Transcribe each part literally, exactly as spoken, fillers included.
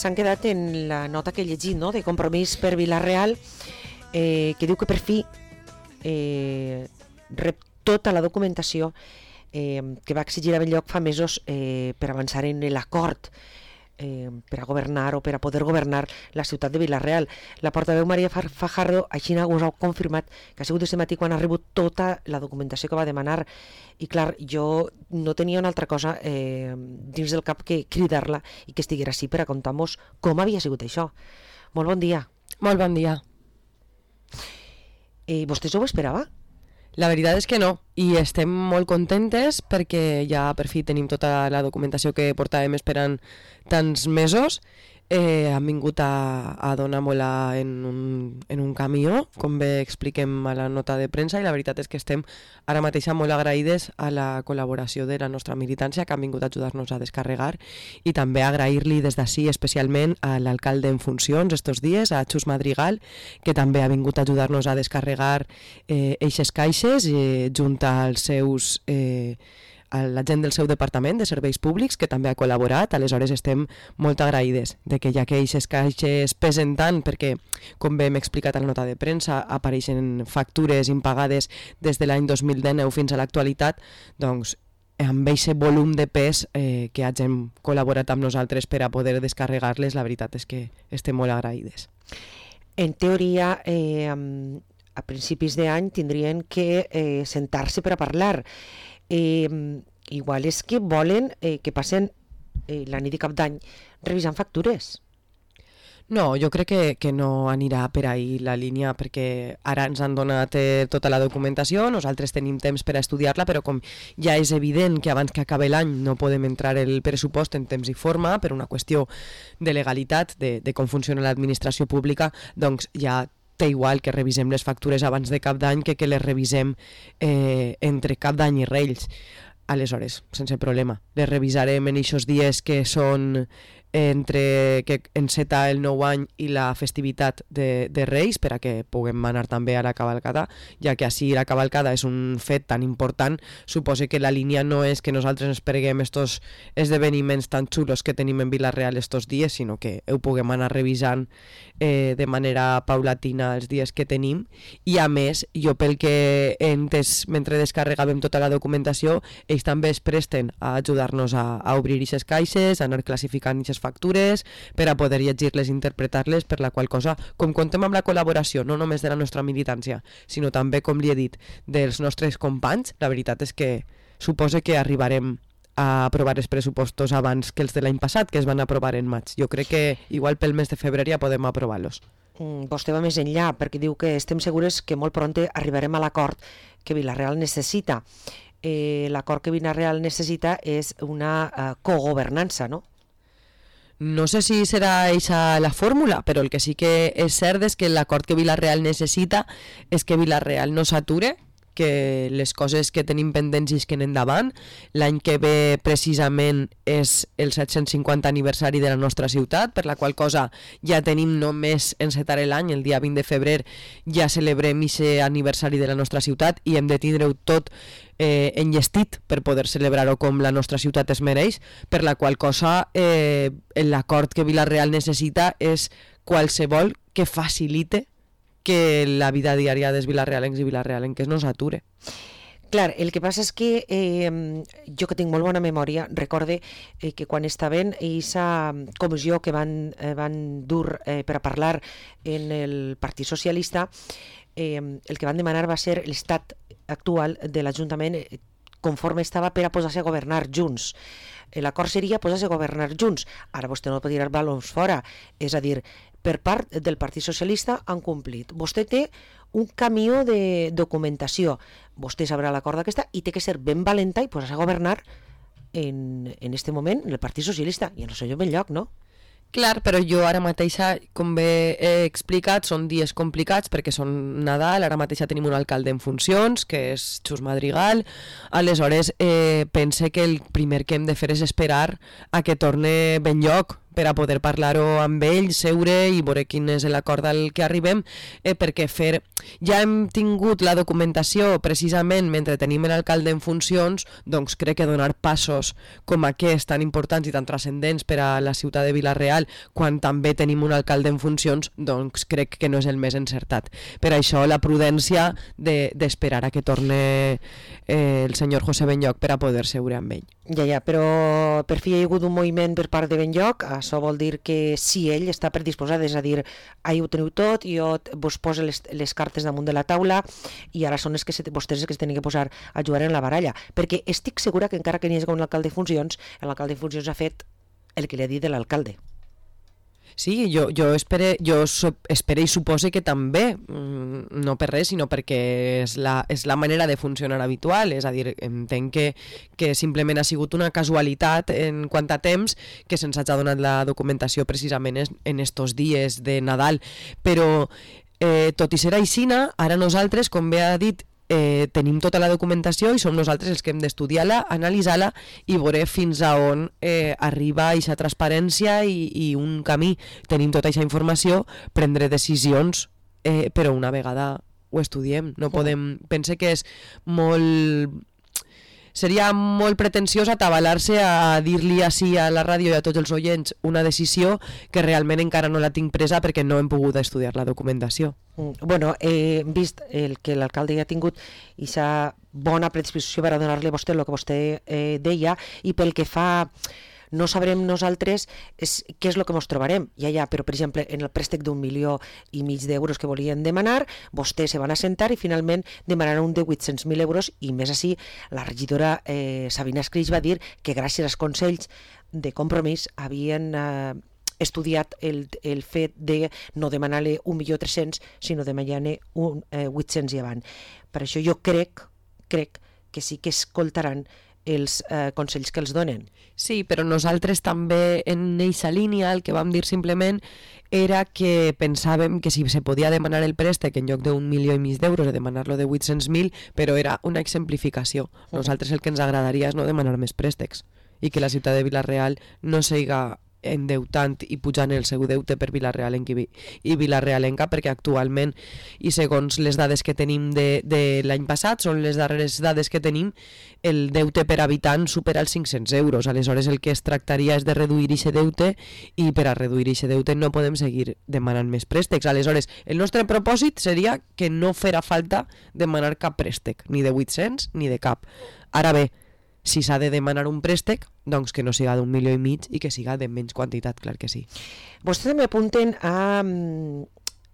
s'han quedat en la nota que he llegit, no?, de Compromís per Vila-real, eh, que diu que per fi eh, rep tota la documentació eh, que va exigir a Benlloc fa mesos eh, per avançar en l'acord eh, per a governar o per a poder governar la ciutat de Vila-real. La portaveu Maria Fajardo així us ha confirmat que ha sigut aquest matí quan ha rebut tota la documentació que va demanar, i clar, jo no tenia una altra cosa eh, dins del cap que cridar-la i que estiguera així per a contar-nos com havia sigut això. Molt bon dia. Molt bon dia. Eh, vostès ho esperava? La veritat és que no, i estem molt contentes perquè ja per fi tenim tota la documentació que portàvem esperant tants mesos. Eh, han vingut a, a donar-me-la en, un, en un camió, com bé expliquem a la nota de premsa, i la veritat és que estem ara mateix molt agraïdes a la col·laboració de la nostra militància, que han vingut a ajudar-nos a descarregar, i també agrair-li des d'ací especialment a l'alcalde en funcions estos dies, a Xus Madrigal, que també ha vingut a ajudar-nos a descarregar eh, eixes caixes eh, junt als seus... Eh, a la gent del seu departament de serveis públics, que també ha col·laborat. Aleshores estem molt agraïdes de que ja que aquestes caixes pesen tant, perquè com bé hem explicat a la nota de premsa apareixen factures impagades des de l'any dos mil dinou fins a l'actualitat, doncs amb aquest volum de pes eh, que hagin col·laborat amb nosaltres per a poder descarregar-les, la veritat és que estem molt agraïdes. En teoria, eh, a principis d'any tindrien que eh, sentar-se per a parlar. Eh, igual és que volen eh, que passen eh, la nit de cap d'any revisant factures. No, jo crec que, que no anirà per ahí la línia, perquè ara ens han donat eh, tota la documentació, nosaltres tenim temps per a estudiar-la, però com ja és evident que abans que acabi l'any no podem entrar el pressupost en temps i forma per una qüestió de legalitat, de, de com funciona l'administració pública, doncs ja té igual que revisem les factures abans de cap d'any que que les revisem eh, entre cap d'any i Reis. Aleshores, sense problema. Les revisarem en aquests dies que són entre que enceta el nou any i la festivitat de, de Reis, per a que puguem anar també a la cavalcada, ja que així la cavalcada és un fet tan important. Suposo que la línia no és que nosaltres ens preguem estos esdeveniments tan xulos que tenim en Vila-real estos dies, sinó que ho puguem anar revisant eh, de manera paulatina els dies que tenim. I a més, jo pel que he entès mentre descarregàvem tota la documentació, ells també es presten a ajudar-nos a, a obrir aquestes caixes, a anar classificant aquestes factures per a poder llegir-les i interpretar-les, per la qual cosa, com contem amb la col·laboració no només de la nostra militància, sinó també, com li he dit, dels nostres companys, la veritat és que suposo que arribarem a aprovar els pressupostos abans que els de l'any passat, que es van aprovar en maig. Jo crec que igual pel mes de febrer ja podem aprovar-los. Mm, vostè va més enllà, perquè diu que estem segures que molt pront arribarem a l'acord que Vila-real necessita. Eh, l'acord que Vila-real necessita és una uh, cogovernança, no? No sé si serà eixa la fórmula, però el que sí que és cert és que l'acord que Vila-real necessita és que Vila-real no s'ature, que les coses que tenim pendents isquen endavant. L'any que ve precisament és el set-cents cinquanta aniversari de la nostra ciutat, per la qual cosa ja tenim només encetar l'any, el dia vint de febrer ja celebrem aquest aniversari de la nostra ciutat i hem de tindre-ho tot eh, enllestit per poder celebrar-ho com la nostra ciutat es mereix, per la qual cosa eh, l'acord que Vila-real necessita és qualsevol que facilite que la vida diària dels vilarealencs i vilarealenques no s'ature. Clar, el que passa és que eh, jo que tinc molt bona memòria, recorde eh, que quan estaven aquesta comissió que van, eh, van dur eh, per a parlar en el Partit Socialista, eh, el que van demanar va ser l'estat actual de l'Ajuntament eh, conforme estava per a posar-se a governar junts. L'acord seria posar-se a governar junts. Ara vostè no pot tirar balons fora, és a dir, per part del Partit Socialista han complit. Vostè té un camió de documentació. Vostè sabrà l'acord d'aquesta i té que ser ben valenta i posar-se a governar en, en este moment en el Partit Socialista i en el senyor Benlloc, no? Clar, però jo ara mateixa, com bé he explicat, són dies complicats perquè són Nadal, ara mateixa tenim un alcalde en funcions, que és Xus Madrigal, aleshores eh, pense que el primer que hem de fer és esperar a que torne Benlloc, per a poder parlar-ho amb ells, seure i veure quin és l'acord al que arribem, eh, perquè fer... ja hem tingut la documentació precisament mentre tenim l'alcalde en funcions, doncs crec que donar passos com aquests tan importants i tan transcendents per a la ciutat de Vila-real quan també tenim un alcalde en funcions, doncs crec que no és el més encertat. Per això la prudència de, d'esperar a que torne eh, el senyor José Benlloch per a poder seure amb ell. Ja, ja, però per fi hi ha hagut un moviment per part de Benlloch, això vol dir que si ell està predisposat, és a dir, ahir ho teniu tot, jo vos poso les, les cartes damunt de la taula i ara són els que se, vostès els que es tenen que posar a jugar en la baralla, perquè estic segura que encara que n'hi hagi un alcalde de funcions, l'alcalde de funcions ha fet el que li ha dit de l'alcalde. Sí, jo, jo, espere, jo espere i supose que també, no per res, sinó perquè és la, és la manera de funcionar habitual, és a dir, entenc que, que simplement ha sigut una casualitat en quant a temps que se'ns hagi donat la documentació precisament en estos dies de Nadal, però eh, tot i ser aixina, ara nosaltres, com bé ha dit, Eh, tenim tota la documentació i som nosaltres els que hem d'estudiar-la, analitzar-la i veure fins a on eh, arriba aquesta transparència i, i un camí. Tenim tota aquesta informació, prendre decisions, eh, però una vegada ho estudiem. No podem... Pense que és molt... Seria molt pretensiós atabalar-se a dir-li així a la ràdio i a tots els oients una decisió que realment encara no la tinc presa perquè no hem pogut estudiar la documentació. Bueno, he vist el que l'alcalde ja ha tingut i s'ha bona predisposició per a donar-li a vostè el que vostè eh, deia, i pel que fa... No sabrem nosaltres és, què és el que ens trobarem. Ja, ja, però, per exemple, en el préstec d'un milió i mig d'euros que volien demanar, vostès se van assentar i finalment demanaran un de vuit-cents mil euros, i més així, la regidora eh, Sabina Escreix va dir que gràcies als consells de Compromís havien eh, estudiat el, el fet de no demanar-li un milió tres-cents, sinó demanar-ne un eh, vuit-cents i avant. Per això jo crec, crec que sí que escoltaran els eh, consells que els donen. Sí, però nosaltres també en eixa línia el que vam dir simplement era que pensàvem que si se podia demanar el préstec en lloc d'un milió i mig d'euros de demanar-lo de vuit-cents mil, però era una exemplificació. Nosaltres el que ens agradaria és no demanar més préstecs i que la ciutat de Vila-real no siga endeutant i pujant el seu deute per Vila-realenc i Vila-realenca, perquè actualment, i segons les dades que tenim de, de l'any passat, són les darreres dades que tenim, el deute per habitant supera els cinc-cents euros. Aleshores el que es tractaria és de reduir aquest deute, i per a reduir aquest deute no podem seguir demanant més préstecs. Aleshores el nostre propòsit seria que no farà falta demanar cap préstec, ni de vuit-cents ni de cap. Ara bé, si s'ha de demanar un préstec, doncs que no siga d'un milió i mig i que siga de menys quantitat, clar que sí. Vostès també apunten a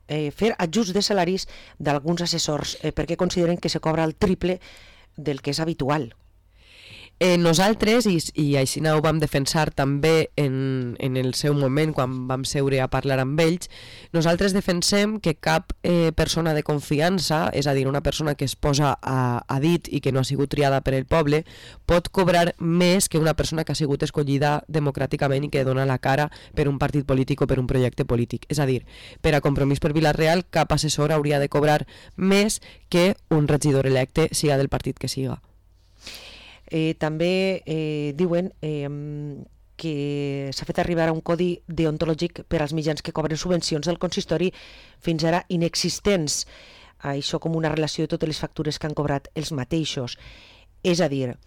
eh, fer ajuts de salaris d'alguns assessors, eh, perquè consideren que se cobra el triple del que és habitual. Eh, nosaltres, i, i així ho vam defensar també en, en el seu moment quan vam seure a parlar amb ells, nosaltres defensem que cap eh, persona de confiança, és a dir, una persona que es posa a, a dit i que no ha sigut triada per el poble, pot cobrar més que una persona que ha sigut escollida democràticament i que dona la cara per un partit polític o per un projecte polític. És a dir, per a Compromís per Vila-real, cap assessor hauria de cobrar més que un regidor electe, siga del partit que siga. Eh, també eh, diuen eh, que s'ha fet arribar a un codi deontològic per als mitjans que cobren subvencions del consistori fins ara inexistents. Això com una relació de totes les factures que han cobrat els mateixos. És a dir,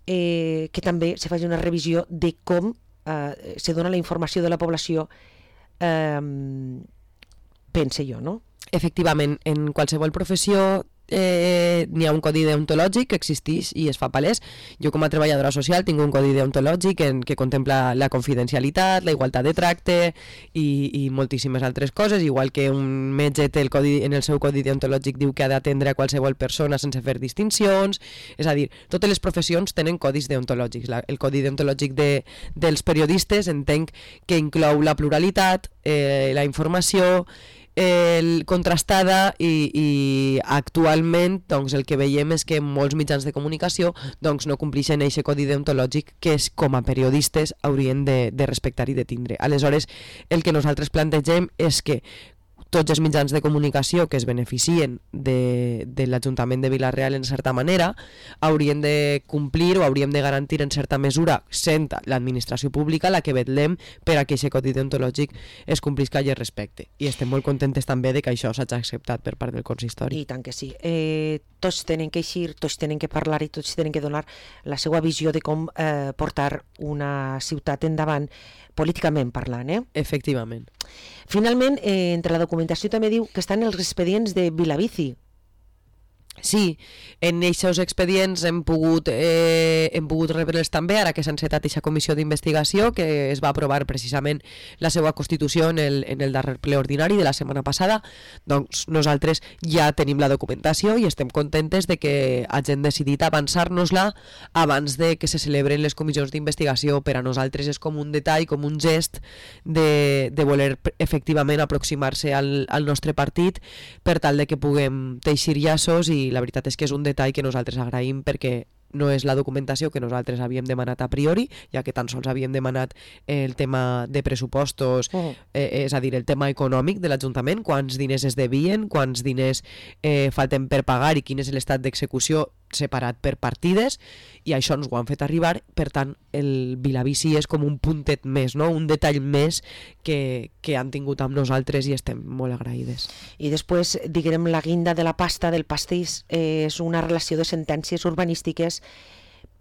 eh, que també se faci una revisió de com eh, se dona la informació de la població, eh, pense jo, no? Efectivament, en qualsevol professió eh, n'hi ha un codi deontològic que existeix i es fa palès. Jo com a treballadora social tinc un codi deontològic en, que contempla la confidencialitat, la igualtat de tracte i, i moltíssimes altres coses, igual que un metge té el codi, en el seu codi deontològic diu que ha d'atendre a qualsevol persona sense fer distincions. És a dir, totes les professions tenen codis deontològics. La, el codi deontològic de, dels periodistes entenc que inclou la pluralitat, eh, la informació, el contrastada i, i actualment doncs, el que veiem és que molts mitjans de comunicació doncs, no compleixen aquest codi deontològic que és, com a periodistes haurien de, de respectar i de tindre. Aleshores, el que nosaltres plantegem és que tots els mitjans de comunicació que es beneficien de, de l'Ajuntament de Vila-real en certa manera haurien de complir o hauríem de garantir en certa mesura, sent l'administració pública la que vetllem per a que aquest codi deontològic es complisca i es respecte. I estem molt contentes també de que això s'hagi acceptat per part del consistori. I tant que sí. Eh, tots tenen que eixir, tots tenen que parlar i tots tenen que donar la seva visió de com eh, portar una ciutat endavant políticament parlant. Eh? Efectivament. Finalment, eh, entre la documentació també diu que estan els expedients de Vilabici. Sí, en aquests expedients hem pogut, eh, hem pogut rebre'ls també, ara que s'ha encetat aquesta comissió d'investigació que es va aprovar precisament la seva constitució en el, en el darrer ple ordinari de la setmana passada. Doncs nosaltres ja tenim la documentació i estem contentes de que hagin decidit avançar-nos-la abans de que se celebren les comissions d'investigació. Per a nosaltres és com un detall, com un gest de, de voler efectivament aproximar-se al, al nostre partit per tal de que puguem teixir llaços, i la veritat és que és un detall que nosaltres agraïm perquè no és la documentació que nosaltres havíem demanat a priori, ja que tan sols havíem demanat el tema de pressupostos, uh-huh. eh, és a dir, el tema econòmic de l'Ajuntament, quants diners es devien, quants diners eh, falten per pagar i quin és l'estat d'execució separat per partides, i això ens ho han fet arribar. Per tant, el Vilabici és com un puntet més, no? Un detall més que, que han tingut amb nosaltres i estem molt agraïdes. I després, diguem, la guinda de la pasta del pastís eh, és una relació de sentències urbanístiques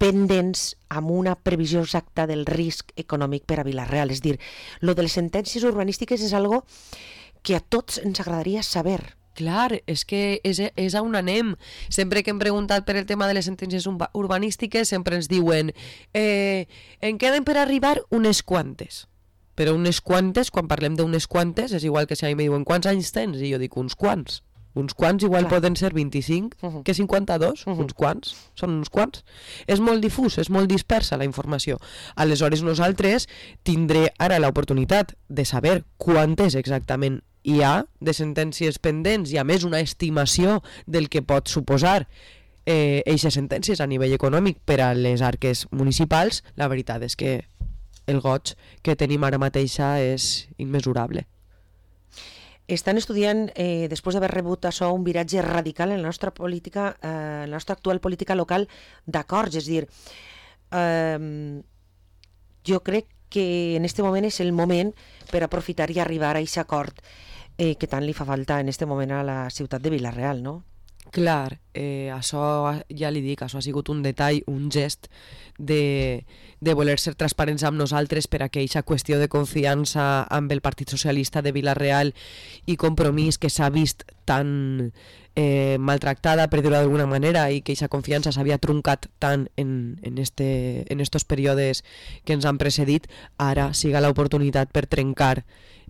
pendents amb una previsió exacta del risc econòmic per a Vila-real. És dir, lo de les sentències urbanístiques és algo que a tots ens agradaria saber. Clar, és que és, és a on anem. Sempre que hem preguntat per el tema de les sentències urbanístiques sempre ens diuen eh, en queden per arribar unes quantes. Però unes quantes, quan parlem d'unes quantes, és igual que si a mi me diuen quants anys tens? I jo dic uns quants. Uns quants igual Clar. Poden ser vint-i-cinc, uh-huh. que cinquanta-dos, uh-huh. uns quants, són uns quants. És molt difús, és molt dispersa la informació. Aleshores nosaltres tindré ara l'oportunitat de saber quantes exactament hi ha de sentències pendents i a més una estimació del que pot suposar eh, eixes sentències a nivell econòmic per a les arques municipals. La veritat és que el goig que tenim ara mateixa és immesurable. Estan estudiant, eh, després d'haver rebut això, un viratge radical en la nostra política, eh, en la nostra actual política local d'acords. És a dir, eh, jo crec que en aquest moment és el moment per aprofitar i arribar a aquest acord eh, que tant li fa falta en aquest moment a la ciutat de Vila-real, no? Clar, eh, això ja li dic, això ha sigut un detall, un gest de, de voler ser transparents amb nosaltres per a que aquesta qüestió de confiança amb el Partit Socialista de Vila-real i Compromís, que s'ha vist tan eh, maltractada, per dir-ho d'alguna manera, i que aquesta confiança s'havia truncat tant en, en, este, en estos períodes que ens han precedit, ara siga l'oportunitat per trencar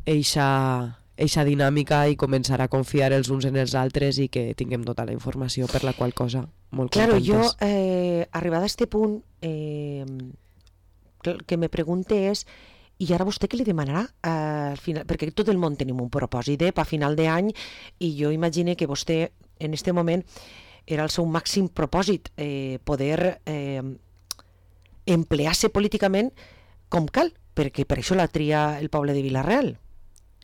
eixa eixa dinàmica i començar a confiar els uns en els altres i que tinguem tota la informació, per la qual cosa molt claro, contentes. Jo, eh, arribada a este punt, eh, que me pregunte és, i ara vostè què li demanarà? Eh, al final, perquè tot el món tenim un propòsit eh, per final d'any, i jo imagine que vostè en este moment era el seu màxim propòsit, eh, poder eh, emplear-se políticament com cal, perquè per això la tria el poble de Vila-real.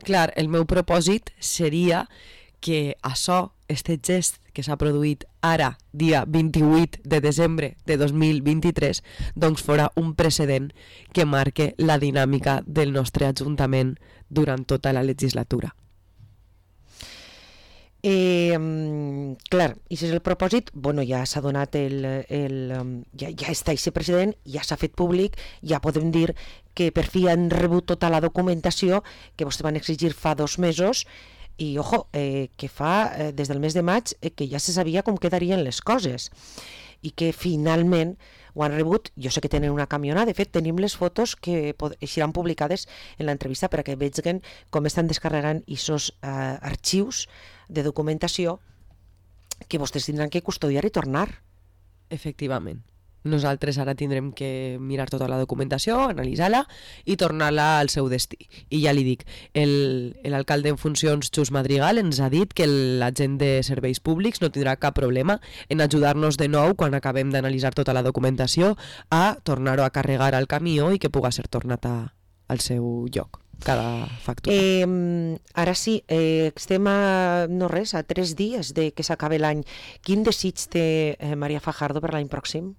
Clar, el meu propòsit seria que això, este gest que s'ha produït ara, dia vint-i-vuit de desembre de dos mil vint-i-tres, doncs fora un precedent que marque la dinàmica del nostre Ajuntament durant tota la legislatura. Eh, clar, i si és el propòsit, bueno, ja s'ha donat el, el ja, ja està aquest precedent, ja s'ha fet públic, ja podem dir que per fi han rebut tota la documentació que vostès van exigir fa dos mesos i, ojo, eh, que fa eh, des del mes de maig eh, que ja se sabia com quedarien les coses i que finalment ho han rebut. Jo sé que tenen una camionada, de fet tenim les fotos que seran publicades en l'entrevista per a que vegin com estan descarregant aquests eh, arxius de documentació que vostès tindran que custodiar i tornar. Efectivament. Nosaltres ara tindrem que mirar tota la documentació, analitzar-la i tornar-la al seu destí. I ja li dic, l'alcalde en funcions, Xus Madrigal, ens ha dit que l'agent de serveis públics no tindrà cap problema en ajudar-nos de nou, quan acabem d'analitzar tota la documentació, a tornar-ho a carregar al camió i que puga ser tornat a, al seu lloc. cada factura. Eh, ara sí, eh, estem a, no res, a tres dies de que s'acabi l'any. Quin desig té eh, Maria Fajardo per l'any pròxim?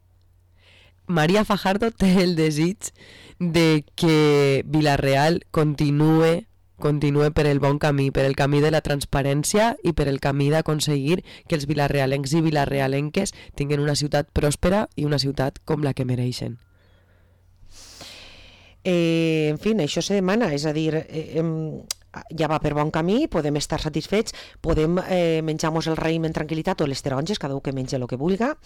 Maria Fajardo té el desig de que Vila-real continue continue per el bon camí, per el camí de la transparència i per el camí d'aconseguir que els vilarealencs i vilarealenques tinguin una ciutat pròspera i una ciutat com la que mereixen. Eh, en fi, això se demana, és a dir, eh, eh, ja va per bon camí, podem estar satisfets, podem eh, menjar-nos el raïm en tranquil·litat o les taronges, cada un que menja el que vulga,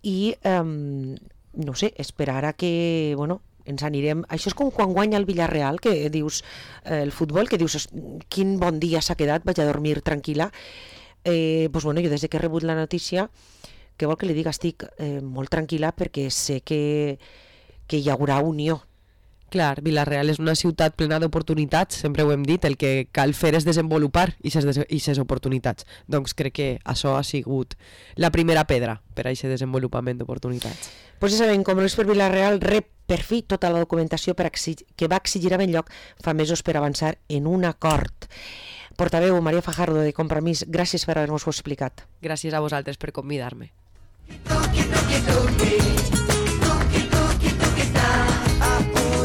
i eh, no sé, esperar a que, bueno, ens anirem... Això és com quan guanya el Villarreal, que dius, eh, el futbol, que dius, quin bon dia s'ha quedat, vaig a dormir tranquil·la. Eh, doncs bueno, jo des que he rebut la notícia, què vol que li diga, estic eh, molt tranquil·la perquè sé que, que hi haurà unió. Clar, Vila-real és una ciutat plena d'oportunitats, sempre ho hem dit, el que cal fer és desenvolupar aquestes oportunitats. Doncs crec que això ha sigut la primera pedra per a aquest desenvolupament d'oportunitats. Pues ja sabem, com Luis per Vila-real rep per fi tota la documentació per exigir, que va exigir a Benlloc fa mesos per avançar en un acord. Portaveu Maria Fajardo de Compromís, gràcies per haver-nos-ho explicat. Gràcies a vosaltres per convidar-me.